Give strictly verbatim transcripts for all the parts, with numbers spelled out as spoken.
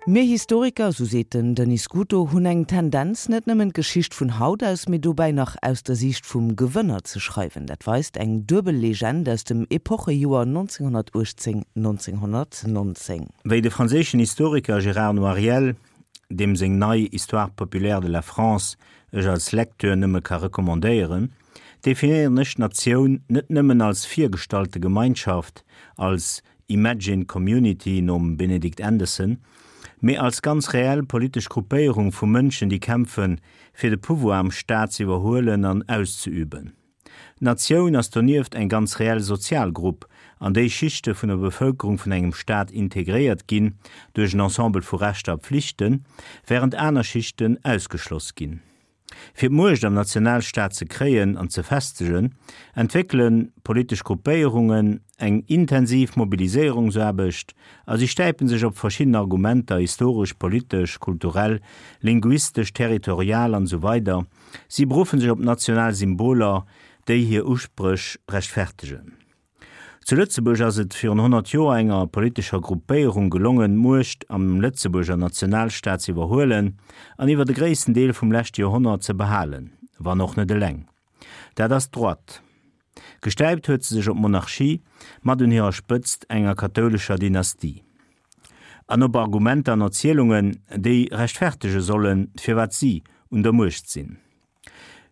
Mir Historiker, sou seet den Denis Scuto, hunn eng Tendenz, net nëmmen d'Geschicht vun haut aus, mee dobäi nach aus der Siicht vum Gewënner ze schreiwen. Dat weist eng duebel Legend aus dem Epochejoer nonzénghonnertuechtzéng nonzénghonnertnonzéng. Wéi de franséischen Historiker Gérard Noiriel, deem seng nei Histoire populaire de la France ech als Lecteur nëmme ka recommandéieren, definéieren ech d'Natioun net nëmmen als virgestallte Gemeinschaft, als imagined community nom Benedict Anderson, mee als ganz reell politesch Gruppéierung vu Mënschen, déi kämpfen, fir de Pouvoir am Staat ze iwwerhuelen an auszeüben. D'Natioun ass donieft eng ganz reell sozial Grupp, an déi Schichte vun der Bevëlkerung vun engem Staat integréiert ginn duerch en Ensemble vu Rechter a Pflichten, wärend aner Schichten ausgeschloss ginn. Fir d'Muecht am Nationalstaat ze kréien an ze festegen, entwéckele politesch Gruppéierungen eng intensiv Mobiliséierungsaarbecht a si stäipe sech op verschidden Argumenter, historesch, politesch, kulturell, linguistesch, territorial an esou weider Si beruffe sech op national Symboler, déi hir Uspréch rechtfertegen. Zu Lëtzebuerg ass et virun honnert Joer enger politescher Gruppéierung gelongen, d'Muecht am Lëtzebuerger Nationalstaat ze iwwerhuelen an iwwer de gréissten Deel vum leschte Joerhonnert ze behalen, wann och net eleng. Dat ass d'Droite. Gestäipt huet se sech op d'Monarchie, mat un hirer Spëtzt enger kathoulescher Dynastie. An op Argumenter an Erzielungen, déi rechtfertege sollen, firwat si un der Muecht sinn.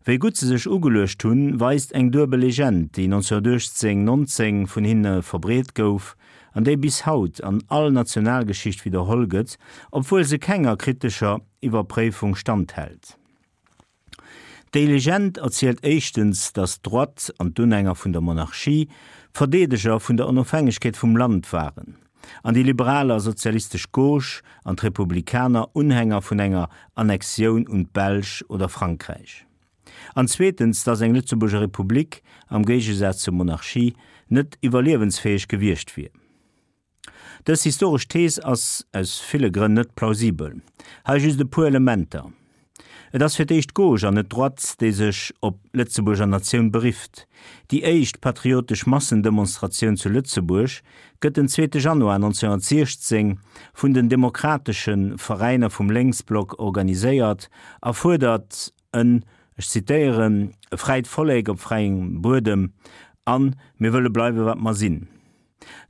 Wéi gutt se sech ugeluecht hunn, weist eng duebel Legend, déi nonzénghonnertuechtzéng nonzéng vun hinne verbreet gouf an déi bis haut an all Nationalgeschicht widderholl gëtt, obwuel se kenger kritescher Iwwerpréifung standhält. Déi Legend erzielt éischtens, datt d'Droite an d'Unhänger vun der Monarchie d'Verdeedeger vun der Onofhängegkeet vum Land waren, an déi liberal a sozialistesch Gauche an d'Republikaner Unhänger vun enger Annexioun un d'Belsch oder Frankräich. An zweetens, datt eng Lëtzebuerger Republik, am Géigesaz zur Monarchie, net iwwerliewensfäeg gewiescht wier. Dës historesch Thees ass aus ville Grënn net plausibel. Hei just e puer Elementer. Et ass fir d'éischt d'Gauche an net d'Droite, déi sech op d'Lëtzebuerger Natioun berifft. Déi éischt patriotesch Massendemonstratioun zu Lëtzebuerg gëtt den zweete Januar nonzénghonnertsiechzéng vun den demokratesche Veräiner vum Lénksblock organiséiert a fuerdert en, ech zitéieren, e fräit Vollek op fräiem Buedem an mir wëlle bleiwe wat mer sinn.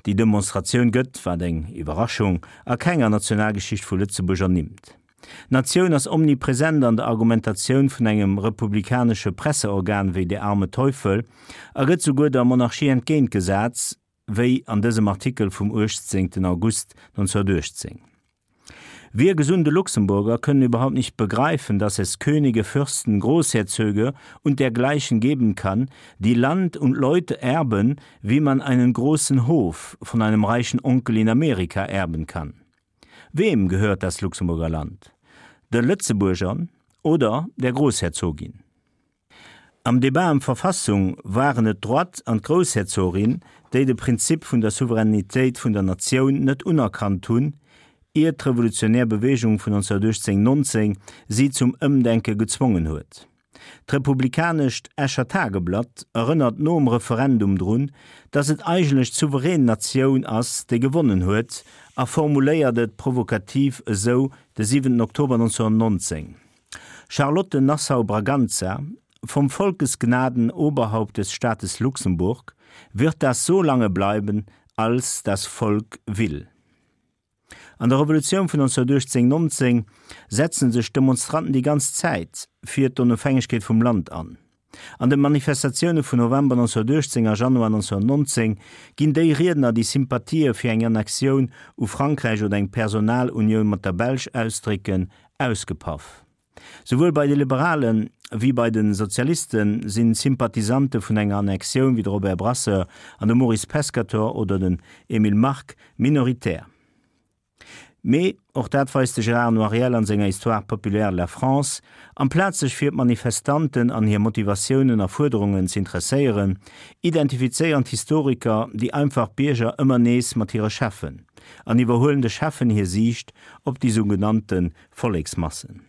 Déi Demonstratioun gëtt, wat eng Iwwerraschung, a kenger Nationalgeschicht vu Lëtzebuerg ernimmt. D'Natioun ass omnipresent an der Argumentatioun vun engem republikanesche Presseorgan wéi Der arme Teufel a gëtt souguer der Monarchie entgéintgesat, wéi an dësem Artikel vum uechtzéngten August nonzénghonnertuechtzéng Wir gesunde Luxemburger können überhaupt nicht begreifen, dass es Könige, Fürsten, Großherzöge und dergleichen geben kann, die Land und Leute erben, wie man einen großen Hof von einem reichen Onkel in Amerika erben kann. Wem gehört das Luxemburger Land? De Lëtzebuergern oder der Großherzogin? Am Debat ëm d'Verfassung waren et d'Droite an d'Groussherzogin, déi de Prinzip vun der Souveränitéit vun der Natioun net unerkannt hunn, ier d'revolutionär Beweegung vun nonzénghonnertuechtzéng nonzéng si zum Ëmdenke gezwongen huet. D'republikanescht Escher Tageblatt erënnert nom Referendum drun, datt et eigentlech d'souverän Natioun ass, déi gewonnen huet, a formuléiert et provokativ esou de siwenten Oktober nonzénghonnertnonzéng, Charlotte Nassau-Braganza, vom Volkes Gnaden Oberhaupt des Staates Luxemburg, wird das so lange bleiben, als das Volk will. An der Revolutioun vun nonzénghonnertuechtzéng nonzéng setzen sech d'Demonstranten déi ganz Zäit fir d'Onofhängegkeet vum Land an. An de Manifestatioune vun November nonzénghonnertuechtzéng a Januar nonzénghonnertnonzéng ginn déi Riedner, déi Sympathië fir eng Annexioun u Frankräich oder eng Personalunioun mat der Belsch ausdrécken, ausgepaff. Souwuel bei de Liberalen wéi bei de Sozialiste si Sympathisante vun enger Annexioun wéi de Robert Brasseur an de Maurice Pescatore oder den Emile Mark minoritär. Mee, och dat weist de Gérard Noiriel an senger Histoire populaire de la France, amplaz sech fir d'Manifestanten an hir Motivatiounen a Fuerderungen z'interesséieren, identifizéieren d'Historiker déi einfach Bierger ëmmer nees mat hire Cheffen an iwwerhuelen de Cheffen hir Siicht op déi sougenannte Volleksmassen.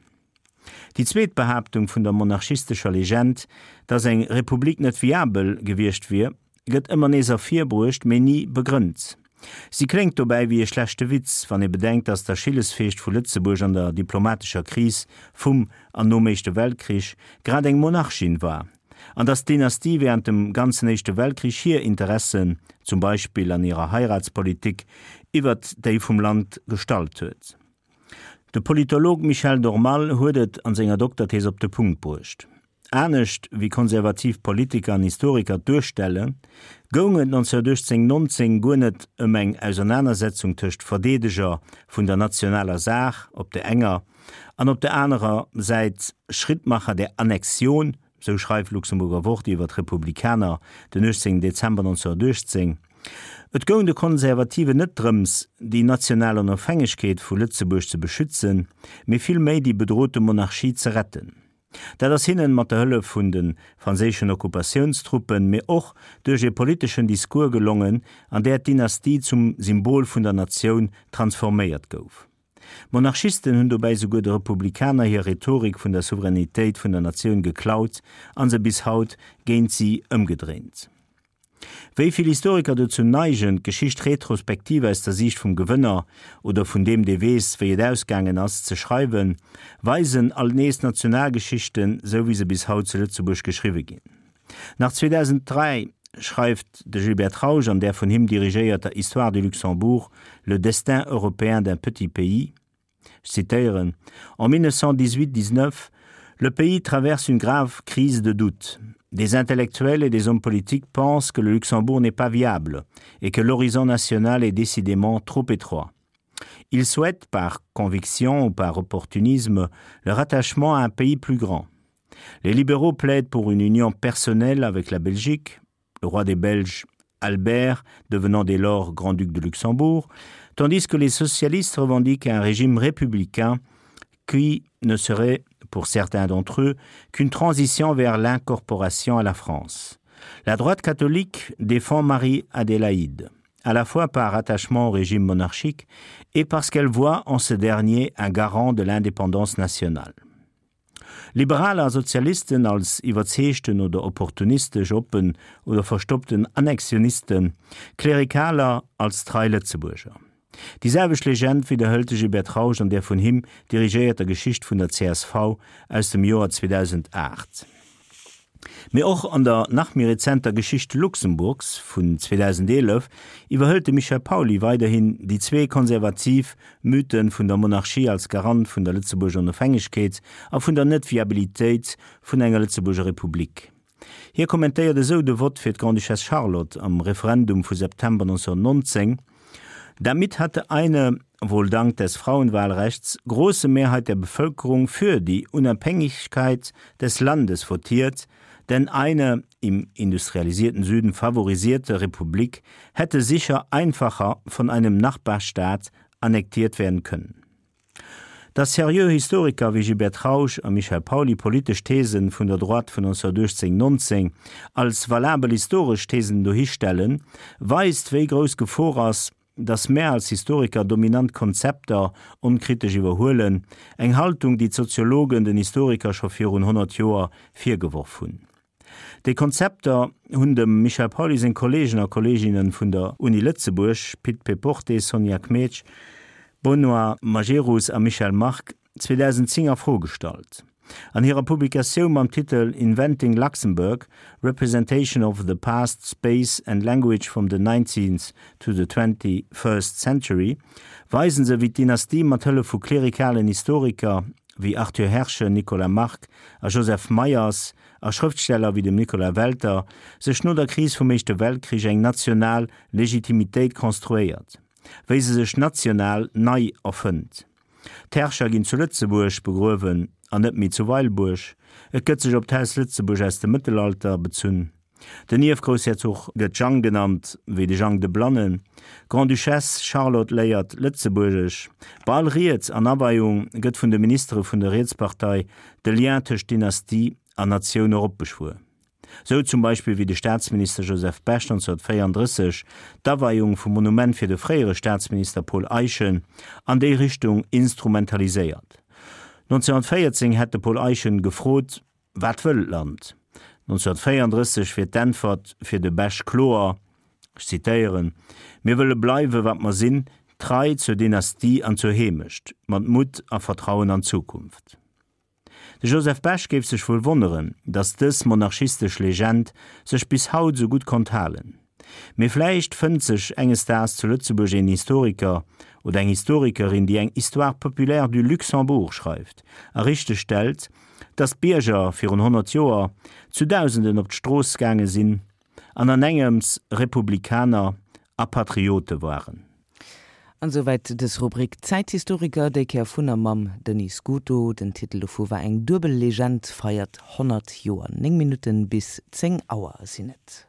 Déi zweet Behaaptung vun der monarchistescher Legend, datt eng Republik net viabel gewiescht wier, gëtt ëmmer nees ervirbruecht, mee ni begrënnt. Si kléngt dobäi wéi e schlechte Witz, wann ee bedenkt, datt d'Achillesfeescht vu Lëtzebuerg an der diplomatescher Kris vum an nom Éischte Weltkrich grad eng Monarchin war, an datt d'Dynastie wärend dem ganzen Éischte Weltkrich hir Interessen, zum Beispill an hirer Heiratspolitik, iwwert déi vum Land gestallt huet. De Politolog Michel Dormal huet et an senger Dokterthees op de Punkt bruecht. Anescht wéi konservativ Politiker an Historiker et duerstellen, goung et nonzénhunnertuechtzéng nonzéng guer net ëm eng Ausernanersetzung tëscht Verdeedeger vun der nationaler Saach op der enger an op der anerer Säit Schrittmacher der Annexion, sou schreift Luxemburger Wort iwwer d'Republikaner den uechtzéngten Dezember nonzénhunnertuechtzéng. Et goung de Konservativen net drëms, déi national Onofhängegkeet vu Lëtzebuerg ze beschützen, mee villméi déi bedrote Monarchie ze retten. Dat ass hinnen mat der Hëllef vun de franséischen Okkupatiounstruppen, mee och duerch e politeschen Discours gelongen, an där d'Dynastie zum Symbol vun der Natioun transforméiert gouf. D'Monarchisten hunn dobäi souguer de Republikaner hir Rhetorik vun der Souveränitéit vun der Natioun geklaut a se bis haut géint si ëmgedréint. Wéi vill Historiker dozou neigen, d'Geschicht retrospektiv aus der Siicht vum Gewënner oder vun deem, dee weess, wéi et ausgaangen ass, ze schreiwen, weisen alt nees d'Nationalgeschichten, sou wéi se bis haut zu Lëtzebuerg geschriwwe ginn. Nach zweedausenddräi schreift de Gilbert Trausch an der vun him dirigéierter Histoire du Luxembourg, Le destin européen d'un petit pays, ech zitéieren, En mille neuf cent dix-huit-dix-neuf, le pays traverse une grave crise de doute. Des intellectuels et des hommes politiques pensent que le Luxembourg n'est pas viable et que l'horizon national est décidément trop étroit. Ils souhaitent, par conviction ou par opportunisme, le rattachement à un pays plus grand. Les libéraux plaident pour une union personnelle avec la Belgique, le roi des Belges Albert devenant dès lors grand-duc de Luxembourg, tandis que les socialistes revendiquent un régime républicain qui ne serait, pour certains d'entre eux, qu'une transition vers l'incorporation à la France. La droite catholique défend Marie-Adélaïde, à la fois par attachement au régime monarchique et parce qu'elle voit en ce dernier un garant de l'indépendance nationale. Liberaler a Sozialisten als iwwerzeegten oder opportunistesch oppen oder verstoppten Annexionisten, Klerikaler als trei Lëtzebuerger. Déi selwecht Legend widderhëlt de Gilbert Trausch an der vun him dirigéierter Geschicht vun der C S V aus dem Joer zweedausendacht. Mee och an der nach méi rezenter Geschicht Luxemburgs vun zweedausendeelef iwwerhëlt de Michel Pauly weiderhin déi zwee konservativ Mythen vun der Monarchie als Garant vun der Lëtzebuerger Onofhängegkeet a vun der Net-Viabilitéit vun enger Lëtzebuerger Republik. Hie kommentéiert esou de Vott fir d'Grande-Duchesse Charlotte am Referendum vu September neunzehnhunnertneunzéng, Damit hatte eine, wohl dank des Frauenwahlrechts, große Mehrheit der Bevölkerung für die Unabhängigkeit des Landes votiert, denn eine im industrialisierten Süden favorisierte Republik hätte sicher einfacher von einem Nachbarstaat annektiert werden können. Dass seriö Historiker wéi Gilbert Trausch a Michel Pauly politesch Thesen vun der Droite vun neunzehnhunnertuechtzéng nonzéng als valabel historesch Thesen dohistellen, weist, wéi grouss d'Gefor ass, dass mär als Historiker dominant Konzepter onkritesch iwwerhuelen, eng Haltung, déi d'Soziologen den Historiker scho virun honnert Joer virgeworf hunn. Déi Konzepter hunn dem Michel Pauly seng Kolleegen a Kolleeginne vun der Uni Lëtzebuerg, Pit Péporté, Sonja Kmetsch, Benoît Majerus a Michel Margue, zweedausendzéng a Fro gestallt. An hirer Publikatioun mam Titel Inventing Luxembourg, Representation of the Past, Space and Language from the nineteenth to the twenty-first Century weisen se, wéi d'Dynastie mat Hëllef vu klerikalen Historiker wéi Arthur Herschen, Nicolas Margue a Joseph Meyers a Schrëftsteller wéi dem Nicolas Welter sech no der Kris vum Éischte Weltkrich eng national Legitimitéit konstruéiert, wéi se sech national nei erfënnt. D'Herrscher ginn zu Lëtzebuerg begruewen an net méi zu Weilburg. Et gëtt sech op d'Haus Lëtzebuerg aus dem Mëttelalter bezunn. Den Ierfgroussherzog gëtt Jang genannt, wéi de Jang de Blannen. D'Grande-Duchesse Charlotte léiert Lëtzebuergesch. Bei all Ried an Aweiung gëtt vun de Ministere vun der Rietspartei de Lien tëscht Dynastie an Natioun eropbeschwuer. Sou zum Beispill wéi de Staatsminister Joseph Bech neunzehnhunnertvéierundrësseg d'Aweiung vum Monument fir de fréiere Staatsminister Paul Eyschen an déi Richtung instrumentaliséiert. neunzehnhunnertvéierzéng hätt de Paul Eyschen gefrot, Wat wëll d'Land? neunzehnhunnertvéierundrësseg wier d'Äntwert fir de Bech kloer, Ech zitéieren: Mir wëlle bleiwe wat mer sinn, trei zur Dynastie an zur Heemecht, mat Mutt a Vertrauen an d'Zukunft. De Joseph Bech géif sech wuel wonneren, datt dës monarchistesch Legend sech bis haut sou gutt konnt halen. Mee vläicht fënnt sech enges Daags zu Lëtzebuerg een Historiker oder eng Historikerin, déi eng Histoire populaire du Luxembourg schreift a richteg stellt, datt d'Bierger virun honnert Joer zu Dausenden op d'Strooss gaange sinn an an engems Republikaner a Patriote waren. An souwäit dës Rubrik Zäithistoriker, déi Kéier vun a mam Denis Scuto. Den Titel dovu war Eng duebel Legend feiert honnert Joer. Néng Minutten bis zéng Auer sinn et.